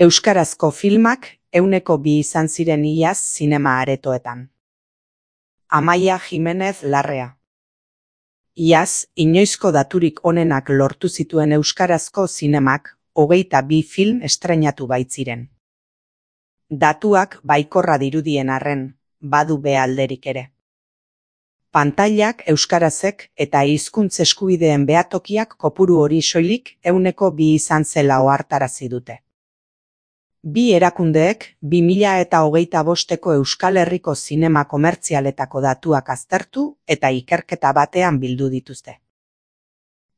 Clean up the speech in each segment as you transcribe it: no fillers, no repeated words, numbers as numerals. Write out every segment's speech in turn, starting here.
Euskarazko filmak 102 izan ziren iaz zinema aretoetan. Amaia Jimenez Larrea. Iaz, inoizko daturik onenak lortu zituen euskarazko zinemak 22 film estreinatu baitziren. Datuak baikorra dirudien arren, badu be alderik ere. Pantailak euskarazek eta hizkuntz eskubideen behatokiak kopuru hori soilik 102 izan zela ohartarazi dute. Bi erakundeek 2025ko Euskal Herriko zinema komertzialetako datuak aztertu eta ikerketa batean bildu dituzte.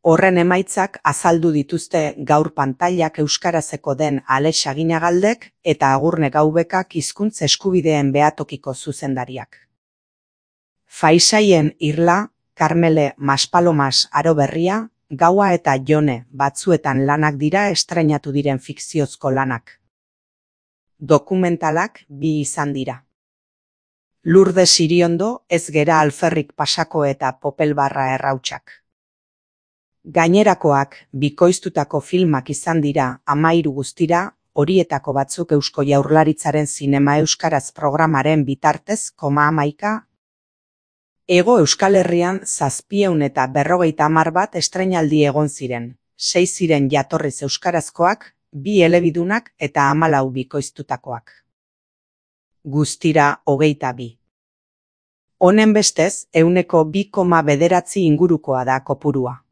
Horren emaitzak azaldu dituzte gaur pantailak euskarazeko den Alex Aginagaldek eta Agurne Gaubekak hizkuntz eskubideen behatokiko zuzendariak. Faisaien Irla, Karmele Maspalomas Aro Berria, Gaua eta Jone batzuetan lanak dira estreinatu diren fikziozko lanak. Dokumentalak 2 izan dira. Lourdes Iriondo, Ez gera alferrik pasako eta Popelbarra errautsak. Gainerakoak bikoiztutako filmak izan dira 13 guztira, horietako batzuk Eusko Jaurlaritzaren Zinema Euskaraz programaren bitartez, 11. Hego Euskal Herrian 750 bat estreinaldi egon ziren, 6 ziren jatorriz euskarazkoak, 2 elebidunak eta 14 bikoiztutakoak. Guztira 22. Honen bestez, 2,9 ingurukoa da kopurua.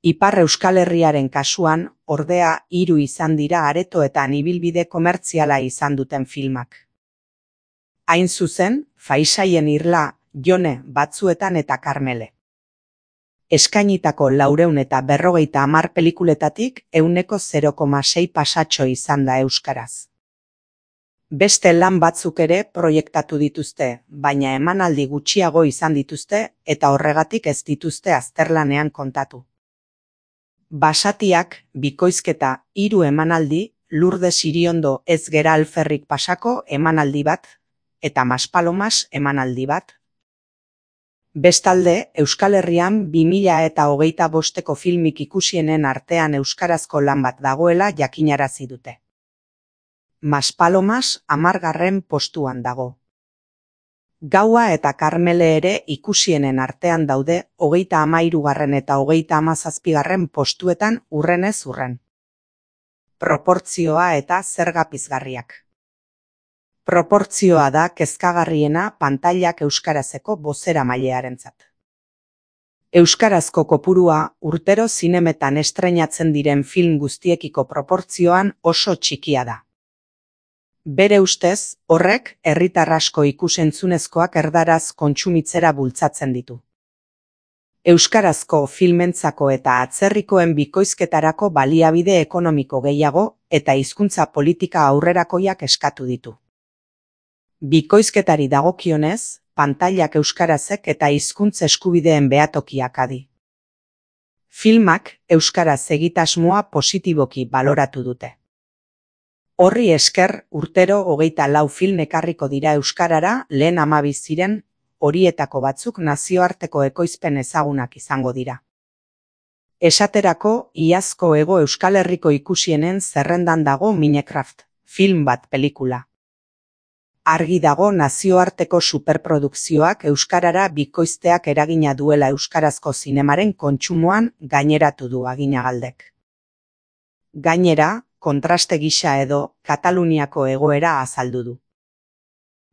Ipar Euskal Herriaren kasuan, ordea 3 izan dira aretoetan ibilbide komertziala izan duten filmak. Hain zuzen, Faisaien Irla, Jone batzuetan eta Karmele. Eskainitako 450 pelikuletatik 0,6 pasatxo izan da euskaraz. Beste lan batzuk ere proiektatu dituzte, baina emanaldi gutxiago izan dituzte eta horregatik ez dituzte azterlanean kontatu. Basatiak, bikoizketa 3 emanaldi, Lourdes Iriondo Ez gera alferrik pasako emanaldi bat, eta Maspalomas emanaldi bat. Bestalde, Euskal Herrian 2025ko filmik ikusienen artean euskarazko lan bat dagoela jakinarazi dute. Maspalomas 10. postuan dago. Gaua eta Karmele ere ikusienen artean daude 33. eta 37. postuetan urrenez urren. Proportzioa eta zerga pizgarriak. Proportzioa da kezkagarriena pantailak euskarazeko bozeramailearentzat. Euskarazko kopurua urtero zinemetan estreinatzen diren film guztiekiko proportzioan oso txikia da. Bere ustez, horrek herritar asko ikus-entzunezkoak erdaraz kontsumitzera bultzatzen ditu. Euskarazko filmentzako eta atzerrikoen bikoizketarako baliabide ekonomiko gehiago eta hizkuntza politika aurrerakoiak eskatu ditu. Bikoizketari dagokionez, pantailak euskarazek eta hizkuntz eskubideen behatokiak adi. Filmak euskaraz egitasmoa positiboki baloratu dute. Horri esker, urtero 24 film ekarriko dira euskarara lehen 12 ziren, horietako batzuk nazioarteko ekoizpen ezagunak izango dira. Esaterako, iazko Hego Euskal Herriko ikusienen zerrendan dago Minecraft, film bat pelikula. Argi dago nazioarteko superprodukzioak euskarara bikoizteak eragina duela euskarazko zinemaren kontsumoan gaineratu du Aginagaldek. Gainera, kontraste gisa edo Kataluniako egoera azaldu du.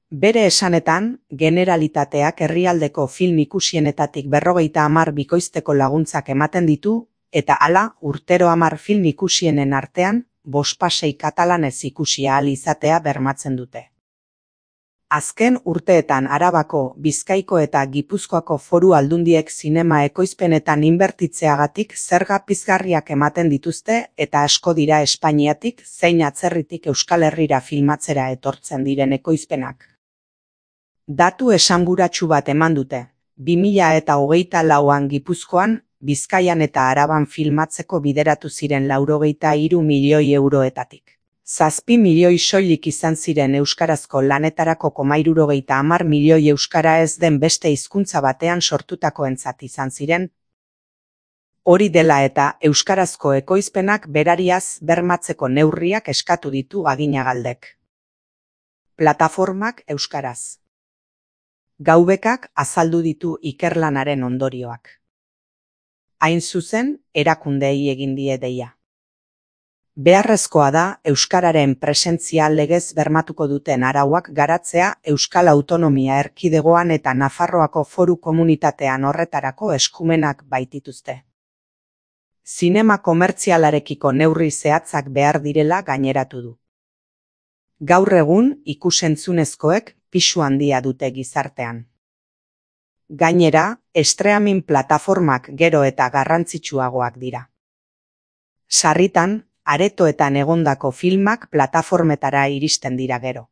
Bere esanetan, Generalitateak herrialdeko film ikusienetatik 50 bikoizteko laguntzak ematen ditu, eta hala urtero 10 film ikusienen artean, 5 katalanez ikusi ahal izatea bermatzen dute. Azken urteetan Arabako, Bizkaiko eta Gipuzkoako foru aldundiek zinema ekoizpenetan inbertitzeagatik zerga pizgarriak ematen dituzte eta asko dira Espainiatik zein atzerritik Euskal Herrira filmatzera etortzen diren ekoizpenak. Datu esanguratsu bat eman dute, 2024an Gipuzkoan, Bizkaian eta Araban filmatzeko bideratu ziren 83 milioi euroetatik. 7 milioi soilik izan ziren euskarazko lanetarako 70 milioi euskara ez den beste hizkuntza batean sortutakoentzat izan ziren. Hori dela eta euskarazko ekoizpenak berariaz bermatzeko neurriak eskatu ditu Aginagaldek. Plataformak euskaraz. Gaubekak azaldu ditu ikerlanaren ondorioak. Hain zuzen, erakundeei egin die deia. Beharrezkoa da euskararen presentzia legez bermatuko duten arauak garatzea Euskal Autonomia Erkidegoan eta Nafarroako Foru Komunitatean horretarako eskumenak baitituzte. Zinema komertzialarekiko neurri zehatzak behar direla gaineratu du. Gaur egun ikus-entzunezkoek pisu handia dute gizartean. Gainera, streaming plataformak gero eta garrantzitsuagoak dira. Sarritan, aretoetan egondako filmak plataformetara iristen dira gero.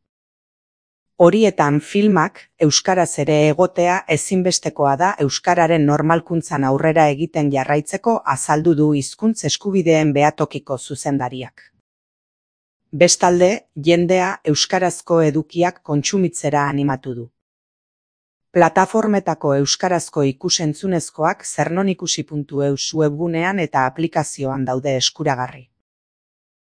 Horietan filmak euskaraz ere egotea ezinbestekoa da euskararen normalkuntzan aurrera egiten jarraitzeko azaldu du hizkuntz eskubideen behatokiko zuzendariak. Bestalde, jendea euskarazko edukiak kontsumitzera animatu du. Plataformetako euskarazko ikus-entzunezkoak zernoikusi.eus webgunean eta aplikazioan daude eskuragarri.